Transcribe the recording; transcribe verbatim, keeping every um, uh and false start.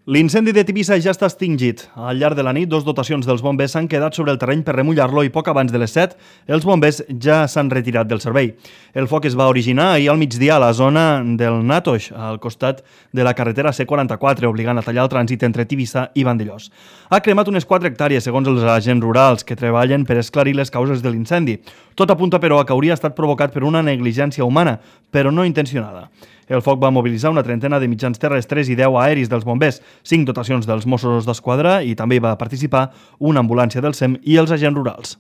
L'incendi de Tivissa ja està extingit. Al llarg de la nit, dos dotacions dels bombers s'han quedat sobre el terreny per remullar-lo i poc abans de les set, els bombers ja s'han retirat del servei. El foc es va originar ahir al migdia a la zona del Natoix, al costat de la carretera C quaranta-quatre, obligant a tallar el trànsit entre Tivissa i Vandellòs. Ha cremat unes quatre hectàrees, segons els agents rurals, que treballen per esclarir les causes de l'incendi. Tot apunta, però, a que hauria estat provocat per una negligència humana, però no intencionada. El foc va mobilitzar una trentena de mitjans terrestres i deu aeris dels bombers, cinc dotacions dels Mossos d'Esquadra i també hi va participar una ambulància del SEM i els agents rurals.